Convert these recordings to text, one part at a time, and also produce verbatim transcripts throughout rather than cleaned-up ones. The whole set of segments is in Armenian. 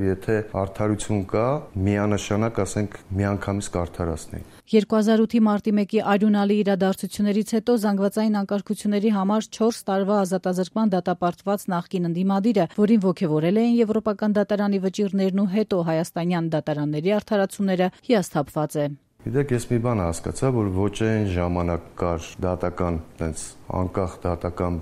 Եթե արդարություն կա, միանշանակ ասենք միանգամից կարդարացնի։ երկու հազար ութի մարտի մեկի արյունալի իրադարձություններից հետո զանգվածային անկարգությունների համար չորս տարվա ազատազրկման դատապարտված նախկին ընդդիմադիրը, որին ոգևորել էին եվրոպական դատարանի վճիռներն ու հետո հայաստանյան դատարանների արդարացումները, հիասթափված է։ Գիտեք, ես մի բան հասկացա, որ ոչ այն ժամանակ կար դատական տենց անկախ դատական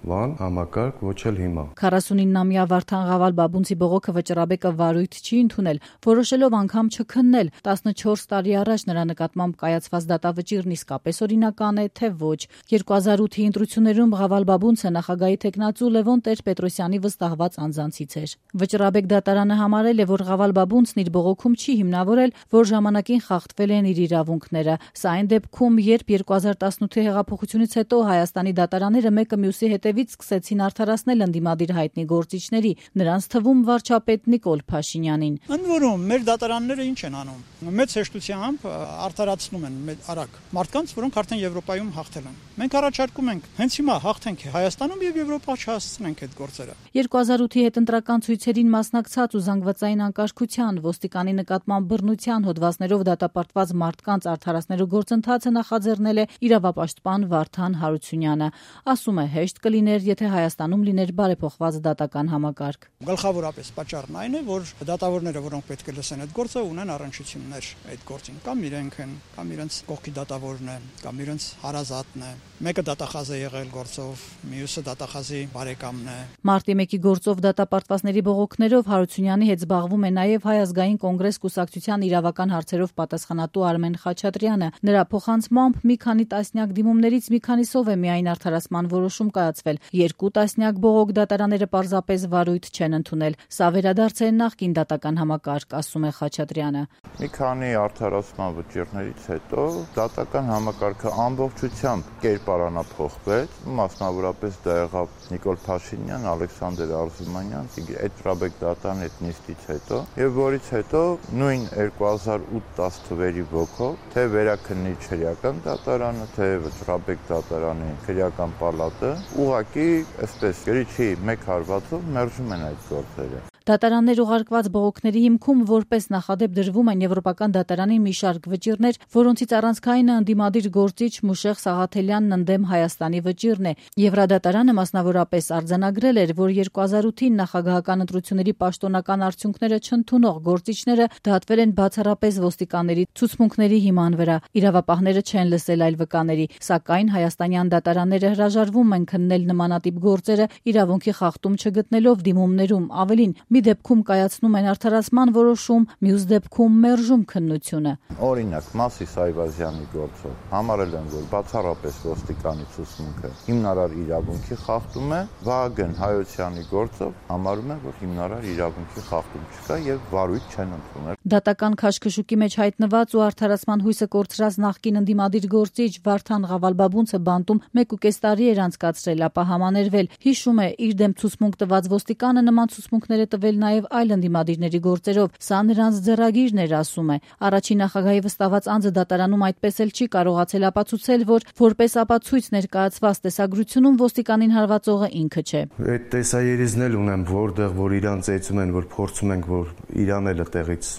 բան, համակարգ, ոչ էլ հիմա։ քառասունինամյա Վարդան Ղավալ-Բաբունցի բողոքը վճռաբեկը վարույթ չի ընդունել, որոշելով անգամ չքննել։ տասնչորս տարի առաջ նրա նկատմամբ կայացված դատավճիռն իսկապես օրինական է, թե ոչ։ երկու հազար ութի ընտրություններում Ղավալ-Բաբունցը նախագահի թեկնածու Լևոն Տեր-Պետրոսյանի վստահված անձանցից էր։ Վճռաբեկ դատարանը համարել է, որ Ղավալ-Բաբունցն իր բողոքում չի հիմնավորել, որ ժամանակին խախտվել են իր իրավունքները։ Սա այն դեպքում, երբ երկու հազար տասնութի հեղափոխությունից հետո Հայաստանի դատարանները մեկը մյուսի հետևից սկսեցին արդարացնել ընդդիմադիր հայտնի գործիչների, նրանց թվում վարչապետ Նիկոլ Փաշինյանին։ Ընդ որում, մեր դատարանները ինչ են անում։ Մեծ հեշտությամբ արդարացնում են արագ մարդկանց, որոնք արդեն Եվրոպայում հաղթել են։ Մենք առաջարկում ենք հենց հիմա հաղթենք Հայաստանում եւ Եվրոպա չհասցնենք այդ գործերը։ երկու հազար ութի հետընտրական ցույցերին մասնակցած ու զանգվածային անկարգության, ոստիկանի նկատմամբ բռնության հոդվածներով դատապարտված մարդկանց արդարացնելու գործընթացը նախաձեռնել է իրավապաշտպան Վարդան Հարությունյանը։ Ասում է, հեշտ կլիներ, եթե Հայաստանում լիներ բարեփոխված դատական համակարգ։ Գլխավորապես պատճառն այն է, որ դատավորները, որոնք պետք է լսեն այդ գործը, ունեն առնչություններ այդ գործին, կամ իրենք են, կամ իրենց կողքի դատավորն է, կամ իրենց հարազատն է։ Մեկը դատախազ է եղել գործով, մյուսը դատախազի բարեկամն է։ Մարտի մեկի գործով դատապարտվածների բողոքներով Հարությունյանի հետ զբաղվում է նաև Հայ ազգային կոնգրես կուսակցության իրավական հարցերով պատասխանատու Արմեն Խաչատրյանը։ Նրա փոխանցմամբ մի քանի տասնյակ դիմումներից մի քանիսով է միայն արդարացման որոշում կայացվել։ Երկու տասնյակ բողոք դատարանները պարզապես վարույթ չեն ընդունել։ Սա վերադարձ է նախկին դատական համակարգ, ասում է Խաչատրյանը։ Մի քանի արդարացման վճիռներից հետո դատական համակարգը ամբողջությամբ կերպարանափոխվեց, մասնավորապես դա եղավ Նիկոլ Փաշինյան, Ալեքսանդր Արզումանյան, այդ Ռաբեկ դատարանի այդ նիստից հետո, եւ որից հետո նույն երկու հազար ութ տասը թվերի ոգով, թե վերաքննիչ քրեական դատարանը, թե Ռաբեկ դատարանի քրեական պալատը, ուղղակի այսպես գրիչի մեկ հարվածով մերժում են այդ գործերը։ Դատարաններ ուղարկված բողոքների հիմքում որպես նախադեպ դրվում են Եվրոպական դատարանի մի շարք վճիռներ, որոնցից առանցքայինը ընդդիմադիր գործիչ Մուշեղ Սաղաթելյանն ընդդեմ Հայաստանի վճիռն է։ Եվրադատարանը մասնավորապես արձանագրել էր, որ երկու հազար ութին նախագահական ընտրությունների պաշտոնական արդյունքները չընդունող գործիչները դատվել են բացառապես ոստիկանների ցուցմունքների հիման վրա։ Իրավապահները չեն լսել այլ վկաների, սակայն հայաստանյան դատարանները հրաժարվում են քննել նմանատիպ գործերը իրավունքի խախտում չգտնելով դիմումներում, ավելին մի դեպքում կայացնում են արդարացման որոշում, մյուս դեպքում մերժում քննությունը։ Օրինակ, Մասիս Այվազյանի գործով համարել են, որ բացառապես ոստիկանի ցուցմունքը հիմնարար իրավունքի խախտում է, Վահագն Հայոցյանի գործով համարում են, որ հիմնարար իրավունքի խախտում չկա եւ վարույթ չեն ընդունել։ Դատական քաշքշուկի մեջ հայտնված ու արդարացման հույսը կորցրած նախկին ընդդիմադիր գործիչ Վարդան Ղավալ-Բաբունցը բանտում մեկ ու կես տարի էր անցկացրել, ապա համաներվել։ Հիշում է, իր դեմ ցուցմունք տված ոստիկանը նման ցուցմունքներ տվել նաև այլ ընդդիմադիրների գործերով։ Սա նրանց ձեռագիրն էր, ասում է։ Առաջին նախագահի վստահված անձը դատարանում այդպես էլ չի կարողացել ապացուցել, որ որպես ապացույց ներկայացված տեսագրությունում ոստիկանին հարվածողը ինքը չէ։ Այդ տեսաերիզն էլ ունեմ, որտեղ որ իրան ծեծում են, որ փորձում ենք, որ իրան էլ տեղից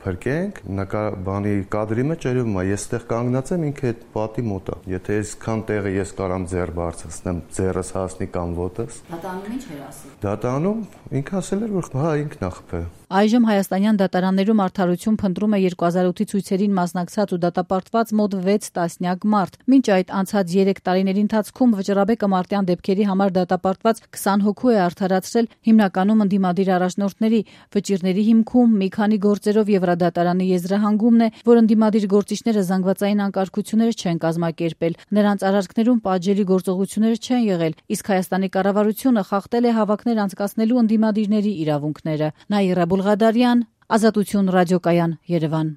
փրկենք, նկար բանի կադրի մեջ երևում է, ես այդտեղ կանգնած եմ, ինքը այդ պատի մոտ է։ Եթե այսքան տեղը ես կարամ ձեռ բարձրացնեմ, ձեռս հասնի կամ ոտս։ Դատարանում ինչ էր ասել։ Դատարանում ինքը ասել էր, որ հա ինքն է խփել։ Այժմ հայաստանյան դատարաններում արդարություն փնտրում է երկու հազար ութի ցույցերին մասնակցած ու դատապարտված մոտ վեց տասնյակ մարդ։ Մինչ այդ անցած երեք տարիների ընթացքում վճռաբեկը մարտյան դեպքերի համար դատապարտված քսան հոգու է արդարացրել, հիմնականում ընդդիմադիր առաջնորդների վճիռների հիմքում մի քանի գործերով Եվրադատարանի եզրահանգումն է, որ ընդդիմադիր գործիչները զանգվածային անկարգություններ չեն կազմակերպել, նրանց արարքներում պատժելի գործողություններ չեն եղել, իսկ Հայաստանի կառավարությունը խախտել է հավաքներ անցկացնելու ընդդիմադիրների իրավունքները։ Նաիրա Բուլղադարյան, Ազատություն ռադիոկայան, Երևան։